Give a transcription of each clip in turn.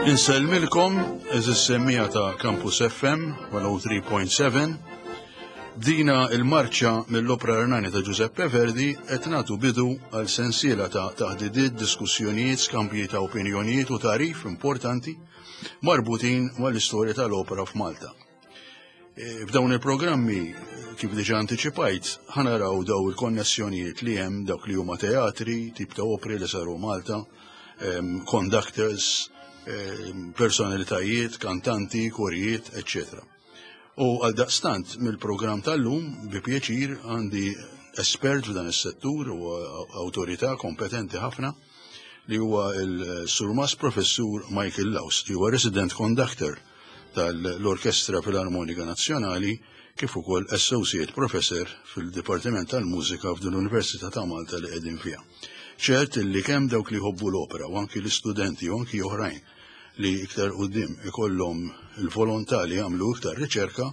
Insellmilkom eżis semmija ta' Campus FM 103.7. Dina il-marċa mill-Opra Ernani ta' Giuseppe Verdi qed nagħtu bidu għal sensiela ta' taħdidiet, diskussjonijiet, skambji ta' opinjonijiet u tarif importanti marbutin mal-istorja tal-opera f'Malta. E, f'dawn il-programmi, kif diġa anticipajt, ħanaraw daw il-konnessjonijiet li hemm dawk li huma teatri, tip ta' opri li saru Malta, conductors, personalitajiet, kantanti, korijiet, etc. U għal daqstant mill-programm tal-lum, bi pjaċir għandi espert f'dan is-settur u awtorità kompetenti ħafna li huwa il-Surmas Professur Michael Laus, li huwa resident conductor tal-Orkestra Filarmonika Nazzjonali kif ukoll Associate Professor fil-Dipartiment tal-Mużika f'din l-Università ta' Malta li qegħdin fiha. Ċert li kemm dawk li jħobbu l-opera u anki l-istudenti u anki oħrajn li iktar quddiem ikollhom il-volontà li jagħmlu iktar riċerka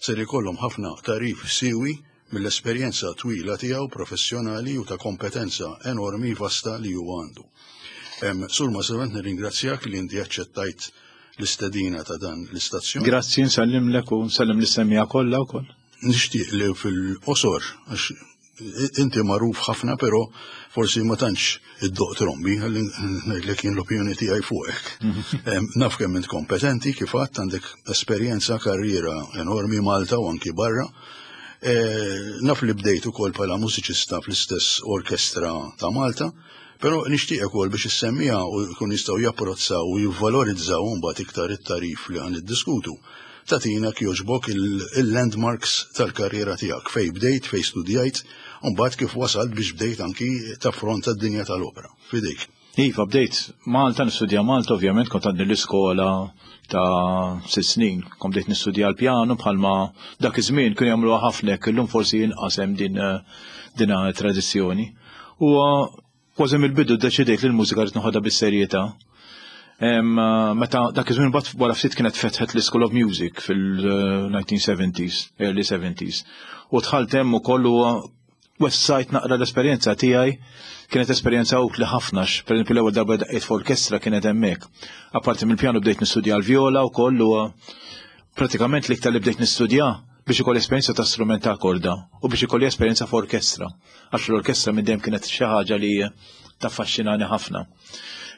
ser ikollhom ħafna tarif siwi mill-esperjenza twila tiegħu professjonali u ta' kompetenza enormi vasta li huwa għandu. Sur Masavent nirringrazzjak li inti aċċettajt l-istedina ta' dan l-istazzjon. Grazzi, nsellimlek u nsellem l-istemmija kollha wkoll. Nixtieq li fil-qosor, għax inti magħruf ħafna però forsi ma tantx iddoq trombi, ħalli ngħidlek jien l-opinjoni tiegħi fuqek. Naf kemm int kompetenti kif għadt għandek esperjenza karriera enormi Malta u anki barra. E, naf li bdejt ukoll bħala mużiċista fl-istess orkestra ta' Malta, però nixtieq ukoll biex issemmija u jkun jistgħu japprozzaw u jivvalorizzaw mbagħad iktar it-tarif li għan iddiskutu. Tatina kjoġbok il-landmarks tal-karriera tiegħek fej bdejt, fej studjajt, u mbagħad kif wasalt biex bdejt anki taffronta d-dinja tal-opera. Fidejk. Iva, bdejt Malta, nistudja Malta, ovvjament, kont għadni l-iskola ta' sitt snin. Kont bdejt nistudja l-pjanu bħalma dak iż-żmien kienu jagħmluha ħafna hekk, illum forsi inqas hemm din din tradizzjoni. U Kważi mill-bidu ddeċidejt li l-mużika rrid noħodha bis-serjetà. Meta dak iż-żmien mbagħad wara ftit kienet fetħet l-School of Music fil-1970s, early 70s. U dħalt hemm ukoll u wessajt naqra l-esperjenza tiegħi kienet esperjenza utli ħafna pereżempju l-ewwel darba daqqejt f'orkestra kienet hemmhekk. Apparti mill-pjanu bdejt nistudja l-vjola wkoll u pratikament l-iktar li bdejt nistudja biex ikolli esperjenza ta' strument ta' korda u biex ikolli esperjenza f'orkestra. Għax l-orkestra minn dejjem kienet xi ħaġa li taffaxxinani ħafna.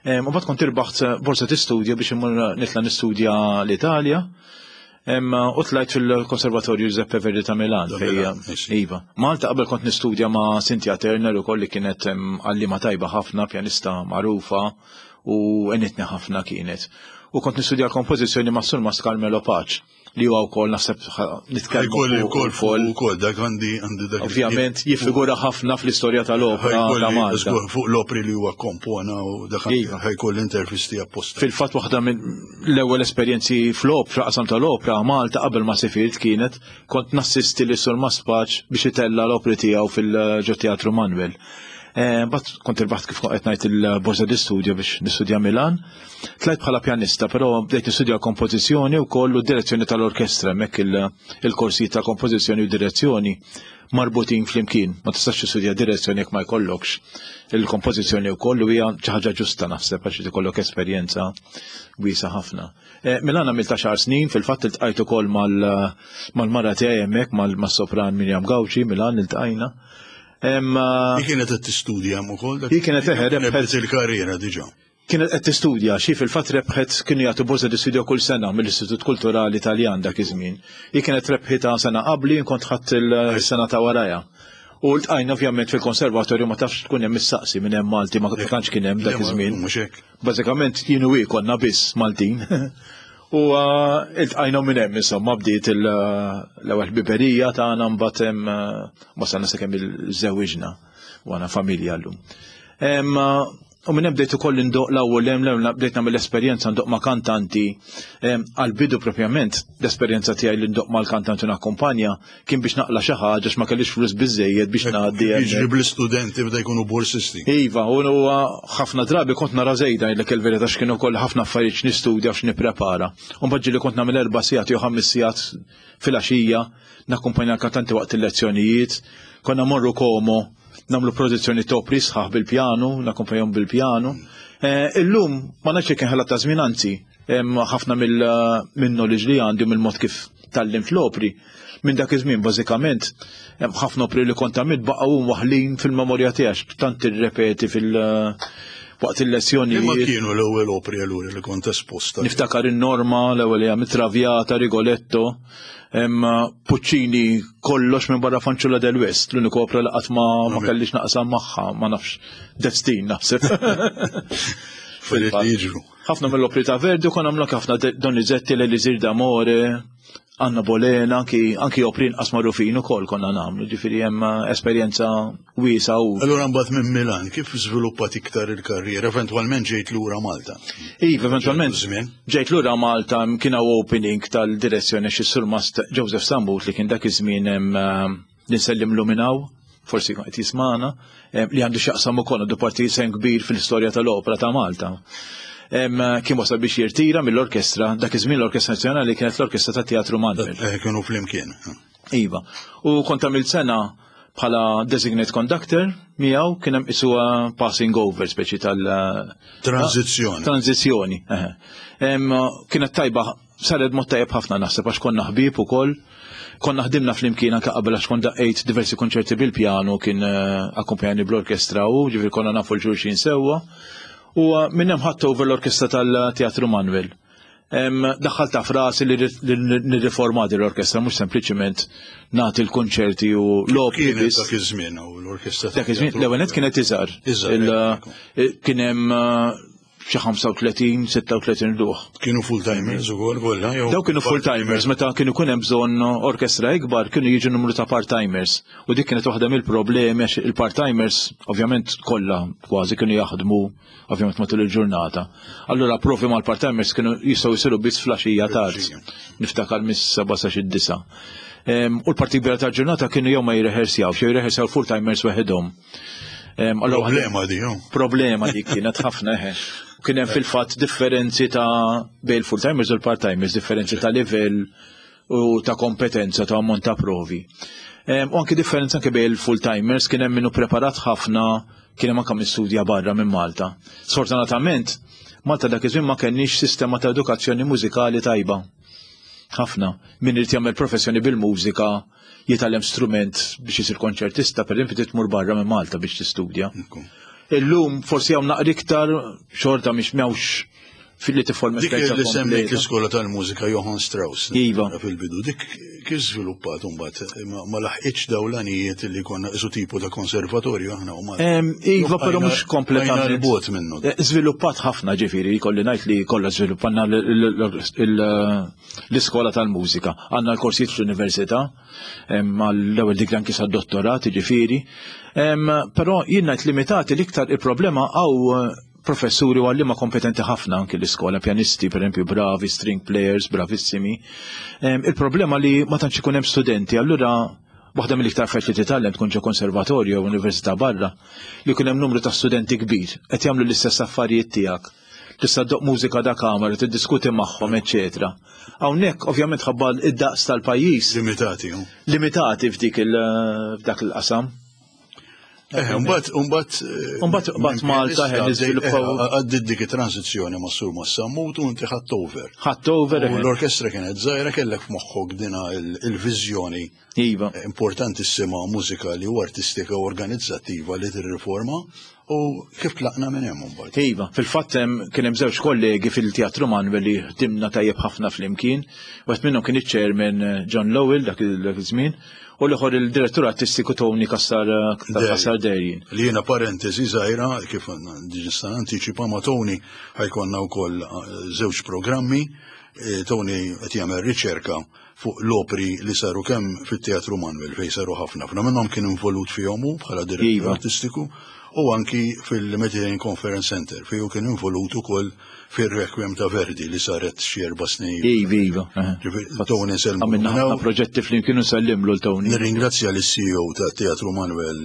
U mbagħad kont irbaħt borsa tistudja biex immur nitla' nistudja l-Italja. U tlajt fil-Konservatorju Giuseppe Verdi ta' Milan. Iva. Malta qabel kont nistudja ma' Cynthia Turner ukoll li kienet għallima tajba ħafna, pjanista magħrufa u għenitni ħafna kienet. U kont nistudja l-kompożizzjoni ma' Surmas Carmelo Pace li huwa wkoll naħseb nitkellmu wkoll fuq ukoll dak għandi għandi dak. Ovvjament jiffigura ħafna fl-istorja tal-opra ta' Malta. Fuq l-opri li huwa kompona u dak iva. ħajkolli intervisti apposta. Fil-fatt waħda minn l-ewwel esperjenzi fl-opra, qasam tal-opra Malta qabel ma sifirt kienet kont nassisti li Sur Maspaċ biex itella l-opri tiegħu fil-ġo Teatru Manuel. Eh, bat kont irbaħt kif qed ngħid il-borsa di studio biex nistudja Milan. Tlajt bħala pjanista, però bdejt nistudja kompożizzjoni wkoll u direzzjoni tal-orkestra, hemmhekk il-korsijiet ta' kompożizzjoni u direzzjoni marbutin flimkien. Ma tistax tistudja direzzjoni jekk ma jkollokx il-kompożizzjoni wkoll u hija xi ħaġa ġusta naħseb għax ikollok esperjenza wiesa ħafna. Eh, Milan għamilt għaxar snin, fil-fatt iltqajt ukoll mal-mara tiegħi hemmhekk mas-sopran Mirjam Gawċi, Milan iltqajna. Hi kienet qed tistudja hemm ukoll. Hi kienet eħe rebħet il-karriera diġà. Kienet qed tistudja, xi fil-fatt rebħet kienu jagħtu borsa di studio kull sena mill-Istitut Kulturali Taljan dak iż-żmien. Hi kienet rebħitha sena qabli, kont ħadd il-sena ta' warajha. U ltqajna ovvjament fil-konservatorju ma tafx tkun hemm issaqsi minn hemm Malti ma tantx kien hemm dak iż-żmien. Bażikament jien u hi konna biss Maltin. U iltqajna minn hemm insomma bdiet l-ewwel ħbiberija tagħna mbagħad hemm wasalna sakemm iżżewwiġna u għandna familja llum. U minn hemm bdejt ukoll indoq l-ewwel hemm l bdejt nagħmel esperjenza ndoq ma' kantanti għall-bidu propjament l-esperjenza tiegħi li ndoq mal-kantanti nakkumpanja kien biex naqla xi ħaġa ma kellix flus biżejjed biex ngħaddi. Jiġri bl-istudenti bda jkunu borsisti. Iva, u huwa ħafna drabi kont nara żejda ngħidlek il-verità x'kienu wkoll ħafna affarijiet x'nistudja x'nipprepara. U mbagħad ġieli kont nagħmel erba' sigħat jew ħames sigħat filgħaxija nakkumpanja l-kantanti waqt il-lezzjonijiet, konna morru Como nagħmlu produzzjoni topri sħaħ bil-pjanu, nakkumpanjahom bil-pjanu. Eh, illum ma nafx kien ħela ta' żmien anzi. Ħafna mill-knowledge li għandi mill-mod kif tgħallimt l-opri, minn dak iż-żmien bażikament hemm ħafna opri li kont għamilt baqgħu waħlin fil-memorja tiegħek, tant tirrepeti fil- waqt il-lezzjoni. Ma kienu l-ewwel opri allura li kont esposta? Niftakar in-Norma, l-ewwel hija Traviata, Rigoletto, Puccini kollox minn barra Fanciulla del West, l-uniku opra li qatt ma kellix naqsam magħha, ma nafx destin naħseb. Fil-li jiġru. Ħafna mill-opri ta' Verdi kon għamlu ħafna Donizetti, l-Elisir d'Amore, Anna Bolena, anki opri inqas magħrufin ukoll konna nagħmlu, ġifieri hemm esperjenza wiesa u. Allura mbagħad minn Milan, kif żviluppat iktar il-karriera? Eventwalment ġejt lura Malta. Iva, eventwalment ġejt lura Malta, kien hawn opening tal-direzzjoni xi surmast Joseph Sambut li kien dak iż-żmien hemm li nsellimlu minn hawn, forsi qed jismana, li għandu x'jaqsam ukoll għandu parti sehem kbir fil-istorja tal-opra ta' Malta. Kien wasal biex jirtira mill-orkestra, dak iż-żmien l-Orkestra Nazzjonali kienet l-Orkestra ta' Teatru Manuel. Kienu flimkien. Iva. U kont għamilt sena bħala designate conductor miegħu, kien hemm isuha passing over speċi tal Tranzizzjoni. Tranzizzjoni. Kienet tajba, saret mod tajjeb ħafna naħseb għax konna ħbieb ukoll. Konna ħdimna flimkien anke qabel għax kont daqqejt diversi konċerti bil-pjanu, kien akkumpanjani bl-orkestra u ġifieri konna nafu l-xulxin sewwa. U minn hemm ħadt over l-orkestra tal-Teatru Manuel. Daħħal ta' frasi li nirriforma din l-orkestra, mhux sempliċiment nagħti l-konċerti u l-opri. Kienet dak iż-żmien u l-orkestra. Dak iż-żmien, l-ewwel nett kienet iżgħar. Kien hemm xi 35, 36 ruħ. Kienu full-timers ukoll kollha jew? Daw kienu full-timers, meta kienu jkun hemm bżonn orkestra ikbar kienu jiġu numru ta' part-timers. U dik kienet waħda mill-problemi għax il-part-timers ovvjament kollha kważi kienu jaħdmu ovvjament matul il-ġurnata. Allura provi mal-part-timers kienu jistgħu jsiru biss flaxija tard. Niftakar mis-7 sa xi 9. U l-parti kbira tal-ġurnata kienu jew ma jirrehersjaw, jew jirrehersjaw full-timers waħedhom. Problema di, jo? Problema di kienet ħafna eħe. Kien hemm fil-fatt differenzi ta' bejn full-timers u l-part-timers, differenzi ta' livell u ta' kompetenza ta' ammont ta' provi. U anki differenza anke bejn il-full-timers, kien hemm minnu preparat ħafna, kien hemm anke min studja barra minn Malta. Sfortunatament, Malta dak iż-żmien ma kenniex sistema ta' edukazzjoni mużikali tajba. Ħafna. Min irid jagħmel professjoni bil-mużika, jitgħallem strument biex isir konċertista, per esempio, tmur barra minn Malta biex tistudja. Illum forsi hawn naqra iktar xorta mhix m'hawnx fil-li tifforma Dik esperjenza li semmejt kompleta. l-iskola tal-mużika Johann Strauss. Iva. Fil-bidu, dik kif żviluppat imbagħad ma laħqitx dawn l-għanijiet li konna isu tipu ta' konservatorju aħna u Malta. Iva, però mhux kompletament. Bqajna l-bogħod minnu. Żviluppat ħafna, ġifieri, jkolli ngħid li kollha żviluppanna l-iskola tal-mużika. Għandna l-korsijiet fl-università, mal-ewwel dik anki sad-dottorat, ġifieri. Però jien ngħid limitati l-iktar il-problema għaw professuri u għallima kompetenti ħafna anki l-iskola, pjanisti, per esempio, bravi, string players, bravissimi. Il-problema li ma tantx ikun hemm studenti, allura waħda mill-iktar affarijiet li titgħallem tkun ġo konservatorju jew università barra, li jkun hemm numru ta' studenti kbir, qed jagħmlu l-istess affarijiet tiegħek. Tista' ddoq mużika da kamera, tiddiskuti magħhom, eċċetera. Hawnhekk ovvjament ħabba id-daqs tal-pajjiż. Limitati, hu. Limitati f'dak il-qasam. Mbagħad, mbagħad, Mbagħad mbagħad Malta minn niżviluppaw. Għaddit dik it-transizzjoni ma' Sur Massammut u inti ħadt over. Ħadt over, U l-orkestra kienet żgħira, kellek f'moħħok dina il-viżjoni importantissima mużikali u artistika u organizzattiva li tirriforma u kif tlaqna minn hemm imbagħad. Iva, fil-fatt kien hemm żewġ kollegi fil-Teatru Manuel li ħdimna tajjeb ħafna flimkien. Wieħed minnhom kien iċ-chairman John Lowell dak iż-żmien, u l-ieħor il-direttur artistiku Tony Kassar Derjin. Li jiena parentesi żgħira, kif nista' anticipa ma' Tony ħajkonna wkoll żewġ programmi. Tony qed jagħmel riċerka fuq l-opri li saru kemm fit-Teatru Manuel fejn saru ħafna. Ħafna minnhom kien involut fihom hu bħala direttur artistiku u anki fil-Mediterranean Conference Center fejn hu kien involut ukoll fir-Requiem ta' Verdi li saret xi 4 snin. Iva, iva. Ġifieri, Tony nselmu Għamilna minnaw. ħafna proġetti flimkien u nsellimlu l Tony. Nirringrazzja lis CEO ta' Teatru Manuel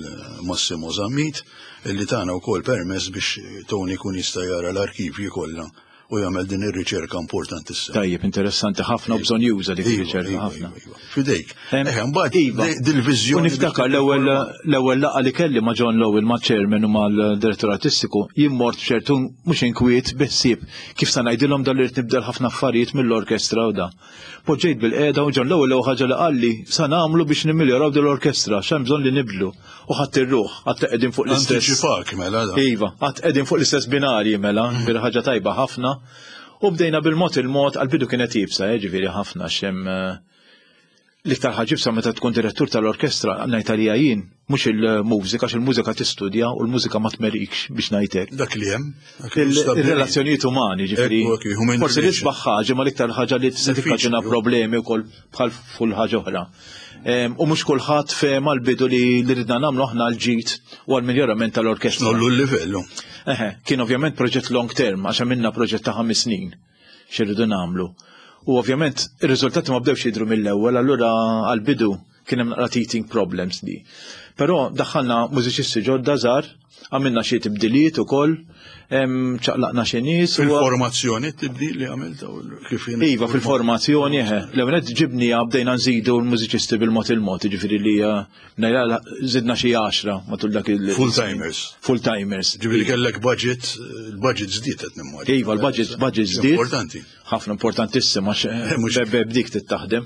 Massimo Zammit li tana wkoll permess biex Tony kun jista' jara l-arkivji kollha. u jagħmel din ir-riċerka importantissima. Tajjeb, interessanti ħafna u bżonn juża dik Iva, ir-riċerka iva, ħafna. iva, iva. Fidejk. Eħe, mbagħad Iva. dil-viżjoni. U niftakar l-ewwel l-ewwel laqgħa li kelli ma' John Lowell ma' chairman u mal-direttur artistiku, jien mort b'ċertu mhux inkwiet biħsieb kif sa ngħidilhom dan li rrid nibdel ħafna affarijiet mill-orkestra u da. Poġġejt bil-qiegħda u John Lowell l-ewwel ħaġa li qalli sa nagħmlu biex nimmiljoraw din l-orkestra x'hemm bżonn li nibdlu. U ħadd ir-ruħ, għad qegħdin fuq l-istess. Antiċipak mela da. Iva, għad qegħdin fuq l-istess binarji mela, ġifieri ħaġa tajba ħafna. U bdejna bil-mod il-mod, għal-bidu kienet iebsa, ġifieri ħafna xem l-iktar ħaġa iebsa meta tkun direttur tal-orkestra, ngħid għalija jien, mhux il-mużika, għax il-mużika tistudja u l-mużika ma tmerikx biex ngħidlek. Dak li hemm. dak li stabbilit. Il-relazzjonijiet umani, ġifieri. Ekku, ekku, human Forsi relation. l-isbaħ ħaġa, ma l-iktar ħaġa li tista' tikkaġuna Diffiċli, problemi wkoll bħal full ħaġa oħra. U mhux kulħadd fehem għall-bidu li li ridna nagħmlu aħna l-ġid u għall-miljorament tal-orkestra. Nollu l-livellu. Eħe, kien ovvjament proġett long term, għax għamilna proġett ta' 5 snin x'irridu nagħmlu. U ovvjament ir-riżultati ma bdewx jidhru mill-ewwel, allura għall-bidu kien hemm naqra teething problems di. Però daħħalna mużiċisti ġodda żgħar, għamilna xi tibdiliet ukoll, ċaqlaqna xi nies. Fil-formazzjoni t-tibdil li għamilta u kif jien- Iva, fil-formazzjoni, eħe. L-ewwel nett ġibni bdejna nżidu l-mużiċisti bil-mod il-mod, ġifieri li ngħidha żidna xi 10 matul dak il- Full-timers. Full-timers. Ġifieri kellek budget, il-budget żdied qed nimmaġina. Iva, l-budget budget żdied. Importanti. Ħafna importantissima għax Mhux- bebe b'dik tittaħdem.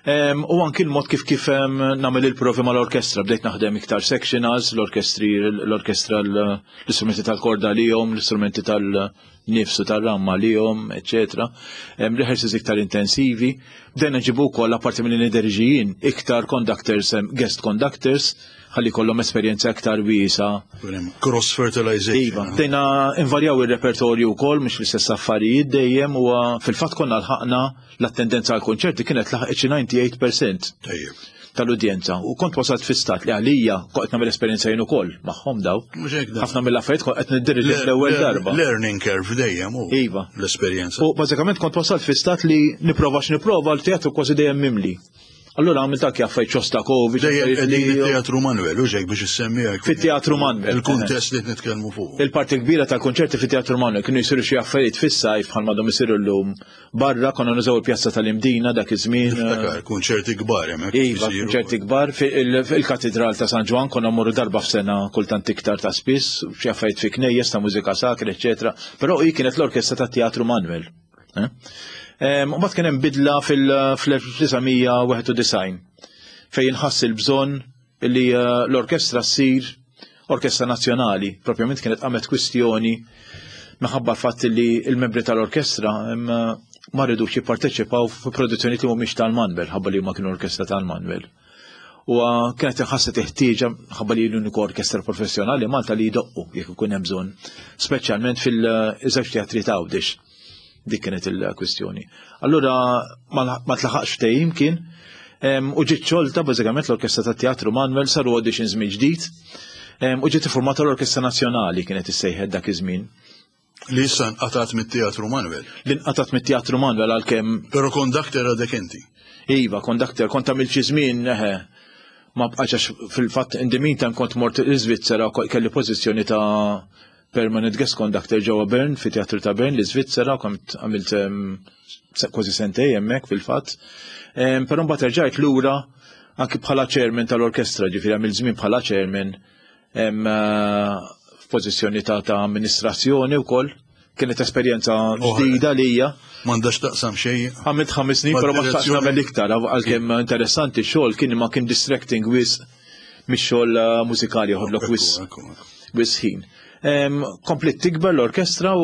U anki l-mod kif kif nagħmel il-provi mal-orkestra, bdejt naħdem iktar sectionals, l-orkestri, l-orkestra l-istrumenti tal-korda lihom, l-istrumenti tal-nifs u tal-ramma lihom, eccetera. Rehearsals iktar intensivi. Bdejna nġibu wkoll apparti minn nideriġijin iktar conductors, guest conductors, ħalli kollhom esperjenza iktar wiesa. Cross fertilization. Iva, bdejna invarjaw il-repertorju wkoll mhux l-istess affarijiet dejjem u fil-fatt konna lħaqna l-attendenza għal konċerti kienet laħqet xi 98% Tajjeb. tal-udjenza. U kont wasalt fi stat li għalija kont qed nagħmel esperjenza jien ukoll magħhom daw. Mhux hekk dan. Ħafna mill-affarijiet kont qed niddirġi l-ewwel darba. Learning curve dejjem u Iva. l-esperjenza. U bażikament kont wasalt fi stat li nipprova x'nipprova l-teatru kważi dejjem mimli. Allura għamilt anke affarijiet Shostakovich, Dejjem affarijiet qegħdin li- fit-Teatru Manuel, u ġejk biex issemmi hekk. Fit-Teatru Manuel. Il-kuntest li qed nitkellmu fuq. Il-parti kbira tal-konċerti fit-Teatru Manuel kienu jsiru xi affarijiet fis-sajf bħal madhom isiru llum barra, konna nużaw il-pjazza tal-Imdina dak iż-żmien. Niftakar, kunċerti kbar hemmhekk. Iva, isiru. konċerti kbar fil-Katedral ta' San Ġwann konna mmorru darba f'sena kultant iktar ta' spiss, xi affarijiet fi knejjes ta' mużika sakra, eċetera. Però hi kienet l-orkestra tat-Teatru Manuel. Eh? U mbagħad kien hemm bidla fil-1991 fejn inħass il-bżonn li l-orkestra ssir orkestra nazzjonali. Propjament kienet qamet kwistjoni minħabba l-fatt li l-membri tal-orkestra ma rridux jipparteċipaw f'produzzjoni li mhumiex tal-Manuel, ħabba li huma kienu orkestra tal-Manuel. U kienet inħasset ħtieġa ħabba li l-uniku orkestra professjonali Malta li jdoqqu jekk ikun hemm bżonn, speċjalment fil-żewġ teatri ta' Għawdex. Dik kienet il-kwistjoni. Allura ma tlaħaqx ftehim kien, u ġiet xolta bażikament l-Orkestra tat-Teatru Manuel, saru auditions mill-ġdid, u ġiet iffurmata l-Orkestra Nazzjonali kienet issejħet dak iż-żmien. Li issa nqatat mit-Teatru Manuel. Li nqatat mit-Teatru Manuel għalkemm. Però conductor għadek inti. Iva, conductor, kont għamilt xi żmien, eħe, ma bqax għax fil-fatt in the meantime kont mort l-Iżvizzera, kelli pożizzjoni ta' permanent guest conductor ġewwa Bern, fi Teatru ta' Bern, l-Iżvizzera, kont għamilt kważi sentej hemmhekk fil-fatt. Però mbagħad erġajt lura anki bħala chairman tal-orkestra, ġifieri għamilt żmien bħala chairman f'pożizzjoni ta' amministrazzjoni wkoll. Kienet esperjenza Oħra. ġdida lija. M'għandax taqsam xejn. Għamilt 5 snin, però ma xtaqx Mad-direzzjoni. nagħmel iktar, għalkemm interessanti x-xogħol kien ma kien distracting wisq mix-xogħol mużikali joħodlok Ekku, wisq ekku, ekku. wisq ħin. Komplet tikber l-orkestra u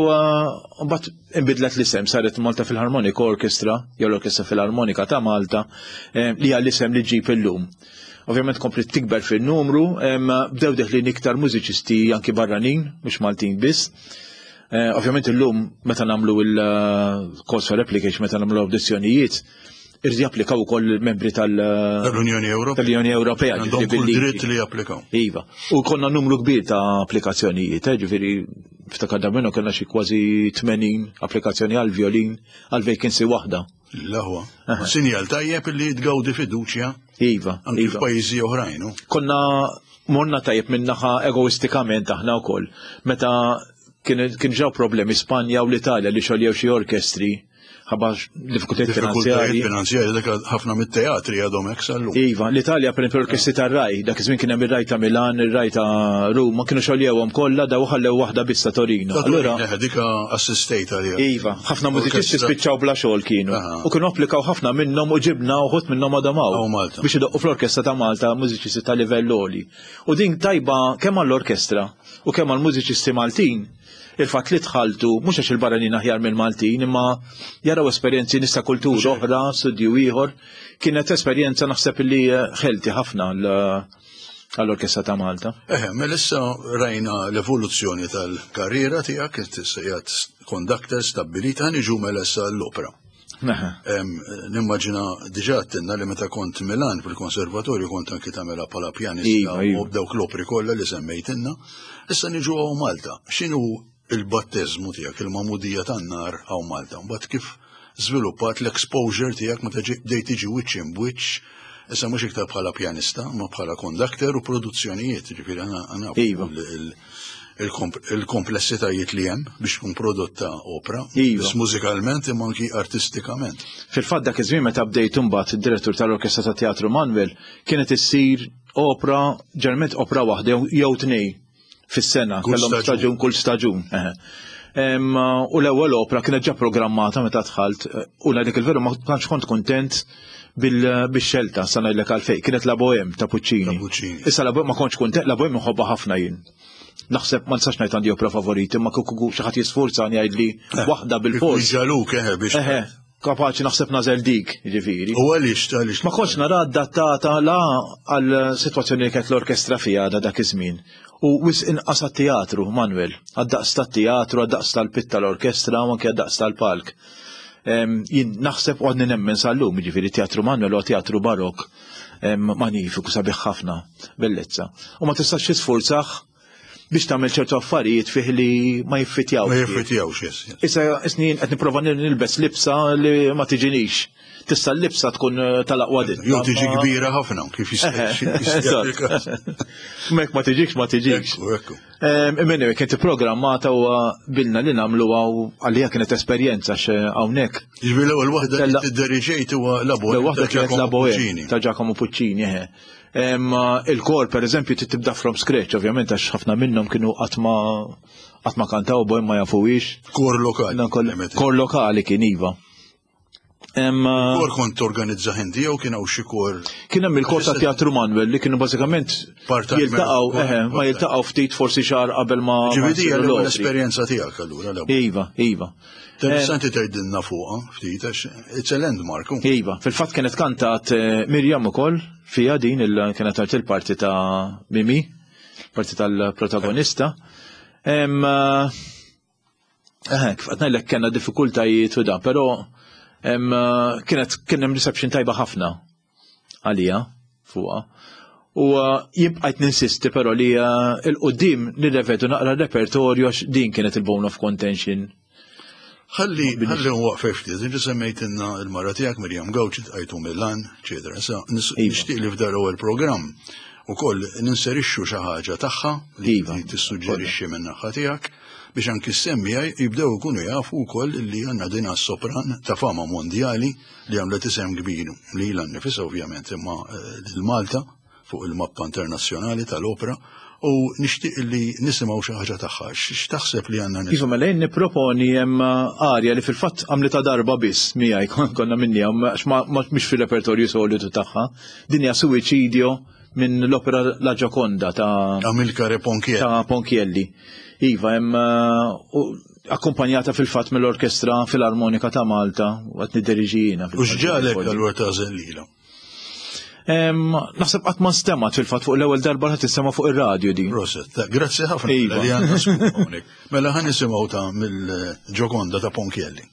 mbagħad inbidlet l-isem, saret Malta Philharmonic Orchestra, jew l-Orkestra Filarmonika ta' Malta, li hija l-isem li ġib illum. Ovvjament komplet tikber fil-numru, bdew deħlin iktar mużiċisti anki barranin, mhux Maltin biss. Ovvjament illum meta nagħmlu il-calls for application, meta nagħmlu audizzjonijiet, irrid japplikaw ukoll il-membri Tal-Unjoni Ewropea. tal-Unjoni Ewropea, Għandhom ġifieri kull bil-liġi. dritt li japplikaw. Iva. U konna numru kbir ta' applikazzjonijiet, ġifieri ftakar da minnu kellna xi kważi 80 applikazzjoni għal violin, għal vacancy waħda. L-aħwa. Sinjal tajjeb li tgawdi fiduċja Iva, anki iva. f'pajjiżi oħrajn, hu? Konna morna tajjeb minnaħa egoistikament aħna wkoll. Meta Kien ġew problemi Spanja u l-Italja li xoljew xi orkestri ħabba diffikultajiet finanzjarji. Finanzjarji dak ħafna mit-teatri għadhom hekk sal-lum. Iva, l-Italja per orkestri tar-Raj, dak iż-żmien kien hemm ir-Raj ta' Milan, ir-Raj ta' Ruma, kienu xoljewhom kollha daw ħallew waħda biss ta' Torino. Allura dika assistejt għaliha. Iva, ħafna mużiċisti spiċċaw bla xogħol kienu. U kienu applikaw ħafna minnhom u ġibna uħud minnhom għadhom hawn. Biex idoqqu fl-orkestra ta' Malta mużiċisti ta' livell għoli. U din tajba kemm għall-orkestra u kemm għall-mużiċisti Maltin il-fatt li tħalltu mhux għax il-barranin aħjar mill-Maltin imma jaraw esperjenzi nista' kultura oħra, studju ieħor, kienet esperjenza naħseb li ħelti ħafna għall-Orkestra ta' Malta. Eħe, mela issa rajna l-evoluzzjoni tal-karriera tiegħek, issa qiegħed conductor stabbilit, ħa niġu mela issa l-opera. Nimmaġina diġà għedtilna li meta kont Milan fil-konservatorju kont anki tagħmilha bħala pjanista iva, iva. u b'dawk l-opri kollha li semmejtilna. Issa niġu hawn Malta. X'inhu il-batteżmu tiegħek, il-magħmudija tan-nar hawn Malta? Mbagħad kif żviluppat l-exposure tiegħek meta bdejt tiġi wiċċ imbwiċċ issa mhux iktar bħala pjanista, ma bħala conductor u produzzjonijiet, ġifieri għana iva. il-komplessitajiet li hemm biex tkun prodotta opra, iva. biss mużikalment imma anki artistikament. Fil-fatt dak iż-żmien meta bdejt imbagħad id-direttur tal-Orkestra ta' Teatru Manuel kienet issir opra, ġeneralment opra waħda jew tnej fis-sena, kellhom staġun kull staġun. U l-ewwel opra kienet ġa programmata meta dħalt u ngħidlek il-veru ma tantx kont kontent bil-xelta sa ngħidlek għalfejn. Kienet La Bohème ta' Puccini. Issa La Bohème ma kontx kontent, La Bohème inħobbha ħafna jien. Naħseb ma nistax ngħid għandi opra favoriti, ma kieku xi ħadd jisfurzani jgħidli waħda bil-fors. Ġaluk eħe biex. Eħe, kapaċi naħseb nażel dik, jiġifieri. U għaliex għaliex? Ma kontx nara adattata la għal sitwazzjoni li kienet l-orkestra fiha da dak iż-żmien. U wisq inqas għat-teatru, Manuel, għad-daqs tat-teatru, għad-daqs tal-pit tal-orkestra u anke għad-daqs tal-palk. Jien naħseb u għadni nemmen sal-lum, jiġifieri teatru Manuel huwa teatru barokk magnifiku sabiħ ħafna, bellezza. U ma tistax tisfurzah biex tagħmel ċertu affarijiet fih li ma jiffitjawx. Ma jiffitjawx, yes. Issa snin qed nipprova nilbes libsa li ma tiġinix. Tista' l-libsa tkun eh, tal-aqwa ditta. Jew tiġi kbira ħafna kif jista' Mek ma tiġikx ma tiġikx. Ekku, ekku. Imma kienet programmata u bilna li nagħmluha u għalija kienet esperjenza hawnhekk. Jiġifieri l-ewwel waħda li tidderiġejt huwa La Bohème. L-ewwel waħda kienet La Bohème ta' Giacomo Puccini, eħe. Il-kor per eżempju tibda from scratch, ovvjament għax ħafna minnhom kienu qatt ma qatt ma kantaw boj ma jafuwix. Kor lokali. Kor lokali kien iva. Kor kont torganizza inti jew kien hawn xi kor? Kien hemm il-kor ta' Teatru Manuel li kienu bażikament jiltaqgħu eħe, ma jiltaqgħu ftit forsi xahar qabel ma. Ġifieri l-esperjenza tiegħek allura. Iva, iva. Interessanti tgħidilna fuqha ftit għax it's a landmark. Iva, fil-fatt kienet kantat eh, Mirjam ukoll fiha din il kienet għart il-parti ta' Mimi, parti tal-protagonista. Eh, eh, kif qed ngħidlek kellna diffikultajiet u da, però kienet kien hemm reception tajba ħafna għalija fuqha. U uh, jien bqajt ninsisti però li uh, il-qudiem nirrevedu naqra repertorju għax din kienet il-bone of contention. Ħalli ħalli nwaqfek ftit, inti semmejtilna l-mara tiegħek Mirjam Gawċi tqajtu Milan, eċetera. Issa iva. nixtieq li f'dar ewwel programm ukoll ninserixxu xi ħaġa tagħha li iva. tissuġġerixxi minn naħa tiegħek biex anki s-semmija jibdew ikunu jafu wkoll li għandna din sopran ta' fama mondjali li għamlet isem kbir lilha nnifisha ovvjament imma eh, lil Malta fuq il-mappa internazzjonali tal-opra u nixtieq li nisimgħu xi ħaġa tagħha. X'taħseb li għandna Iva mela jien nipproponi hemm eh, arja li fil-fatt għamlitha darba biss miegħi konna minni għax ma mhix fir-repertorju solitu tagħha. Din hija Suicidio minn l-opera La Gioconda ta' Amilcare Ponchielli. Ta' Ponchielli. Iva, hemm eh, akkumpanjata fil-fatt mill-Orkestra Filarmonika ta' Malta u qed nidderiġi jiena. U x'ġagħlek allura tagħżel lilha? Naħseb qatt ma nstemat fil-fatt fuq l-ewwel darba ħadd tistema' fuq ir-radju din. Proset, grazzi ħafna iva. li għandna Mela ħa nisimgħu ta' mill-Gioconda ta' Ponchielli.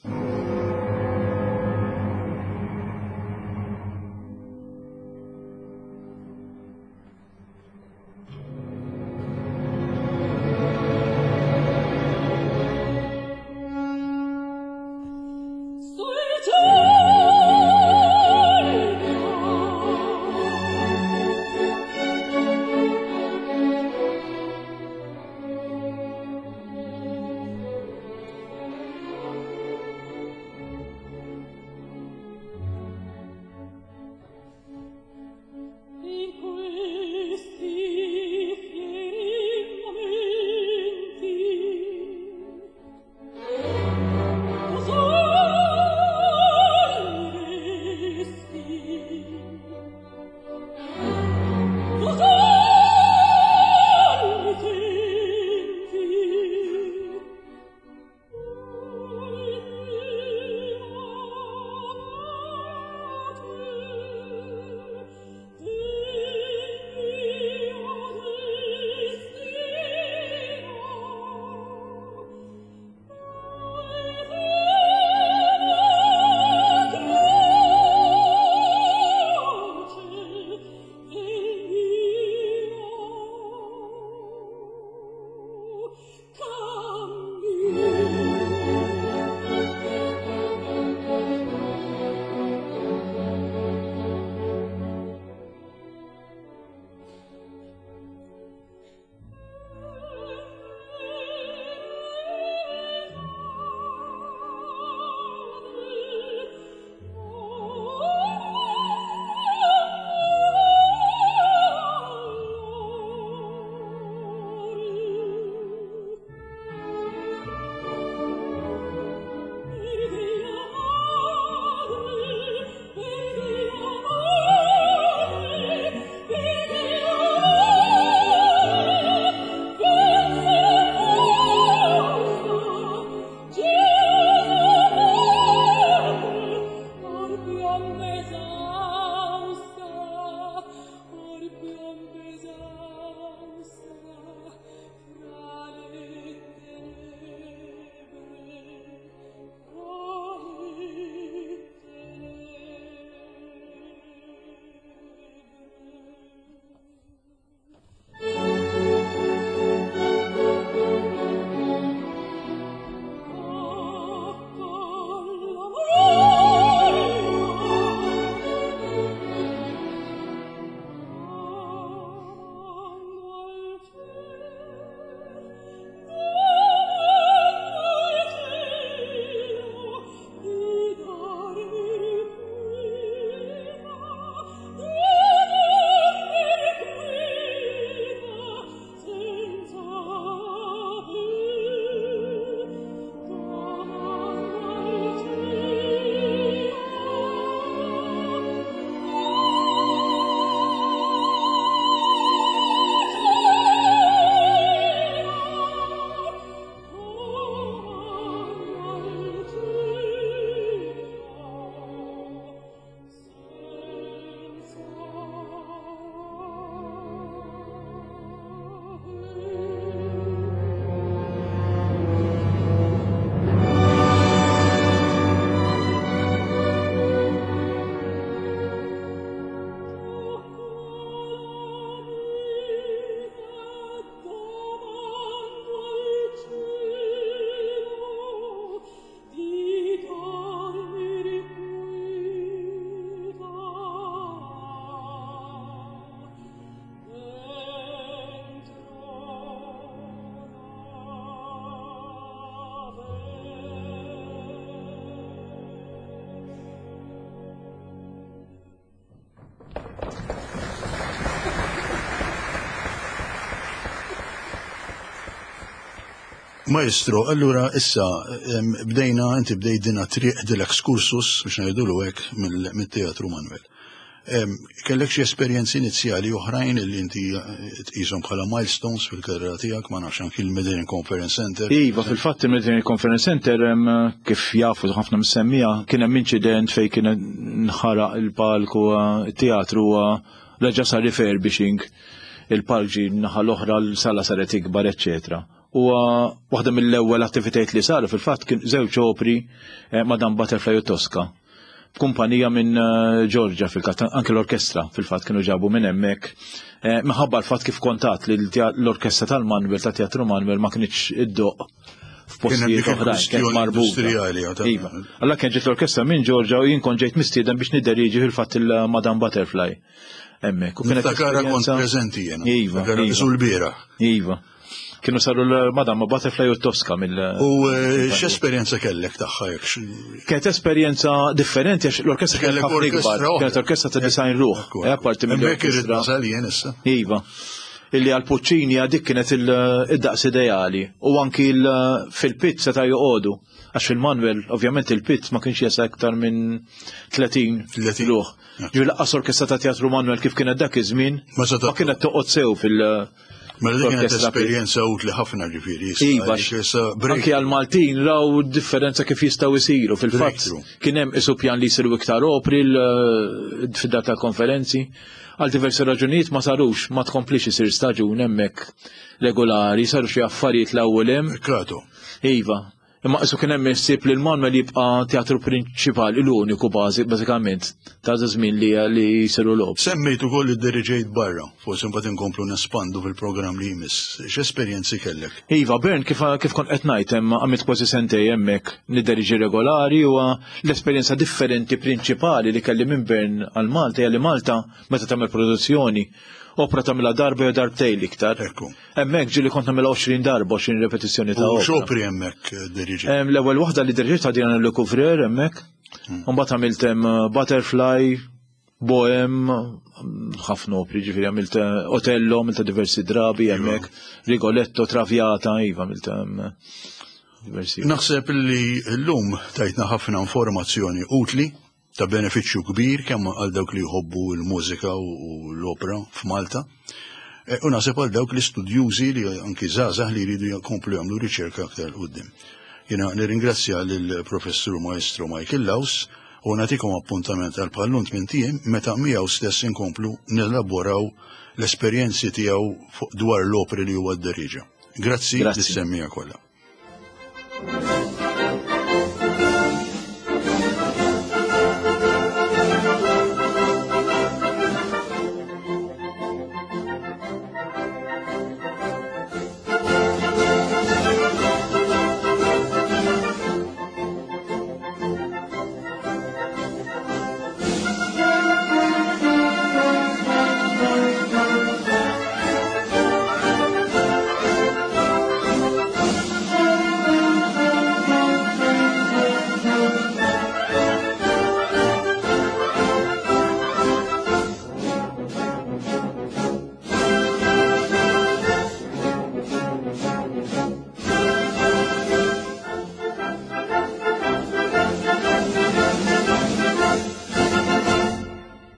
Maestro, allura issa bdejna, inti bdejt dina triq dil-excursus biex ngħidulu hekk mill-Teatru Manuel. Kellek xi esperjenzi inizjali oħrajn li inti eh, tqishom bħala milestones fil-karriera tiegħek, ma nafx anki l-Mediterranean Conference Center. Iva, fil-fatt il-Mediterranean Conference Center kif jafu ħafna msemmija kien hemm inċident fejn kien nħaraq il-palku eh, teatru eh, reġa' sar refurbishing il-palk ġie naħa l-oħra l-sala saret ikbar, eċċetera. U waħda mill-ewwel attivitajiet li saru fil-fatt kien żewġ opri Madame Butterfly u Tosca. B'kumpanija minn Ġorġa fil-katt, anke l-orkestra fil-fatt kienu ġabu minn hemmhekk. Eh, minħabba l-fatt kif kontat li l-orkestra tal-Manuel ta' Teatru Manuel ma kienx iddoq f'postijiet oħrajn, kienet marbuta. Iva. Alla kien ġiet l-orkestra minn Ġorġa u jien kont ġejt mistieden biex nidderieġi fil-fatt il-Madame Butterfly. Hemmhekk. U kienet kont preżenti jiena. Iva. Iva. l-bieraħ. Iva. Kienu saru l-Madama Butterfly u Tosca mill. U eh, x'esperjenza kellek tagħha jekk? Kienet esperjenza differenti għax l-orkestra kienet ħafna ikbar. Kienet orkestra ta' design ruħ. Eh, apparti mill-orkestra. Iva. Illi għal Puccini dik kienet il-daqs ideali u anki fil-pit seta' joqogħdu. Għax fil-Manuel, ovvjament il-pit ma kienx jesa iktar minn 30 ruħ. Ġifieri laqqas orkestra ta' Teatru Manuel kif kienet dak iż-żmien ma kienet toqgħod sew fil- Mela dik kienet esperjenza utli ħafna ġifieri. Iva, anki għal-Maltin raw differenza kif jistgħu jsiru fil-fatt. Kien hemm isu pjan li jsiru iktar opri fid-dar tal-konferenzi. Għal diversi raġunijiet ma sarux, ma tkomplix isir staġun hemmhekk regolari, saru xi affarijiet l-ewwel hemm. Kratu. Iva, Imma qisu kien hemm ħsieb li l-Manuel jibqa' teatru prinċipali l-uniku bażi bażikament ta' żmien li li jsiru logħob. Semmejt ukoll li ddiriġejt barra, forsi mbagħad inkomplu nespandu fil-programm li jmiss. X'esperjenzi kellek? Iva, Bern kif kif kont qed ngħid hemm għamilt kważi sentej hemmhekk nidderieġi regolari u l-esperjenza differenti prinċipali li kelli minn Bern għal Malta hija li Malta meta tagħmel produzzjoni opra tagħmilha darba jew darbtejn l-iktar. Ekku. Hemmhekk ġieli kont nagħmilha 20 darba, 20 repetizzjoni ta' opra. X'opri hemmhekk eh, diriġi? L-ewwel waħda li diriġi ta' Diana Le Couvreur hemmhekk. Hmm. Mbagħad għamilt hemm eh, Butterfly, Bohem, ħafna opri ġifieri għamilt eh, Otello, għamilt diversi drabi iva. hemmhekk, Rigoletto, Traviata, iva għamilt diversi. Naħseb li llum tajtna ħafna informazzjoni utli ta' benefiċċju kbir kemm għal dawk li jħobbu l-mużika u l-opra f'Malta, e, u naħseb għal dawk l-istudjużi li anki żgħażagħ li jridu jkomplu jagħmlu riċerka aktar 'l quddiem. Jiena nirringrazzja lill-Professur Maestro Michael Laus u nagħtikom appuntament għal bħal-lum tmint ijiem meta miegħu stess inkomplu nelaboraw l-esperjenzi tiegħu dwar l-opri li huwa dderieġa. Grazzi lis-semmiegħa kollha.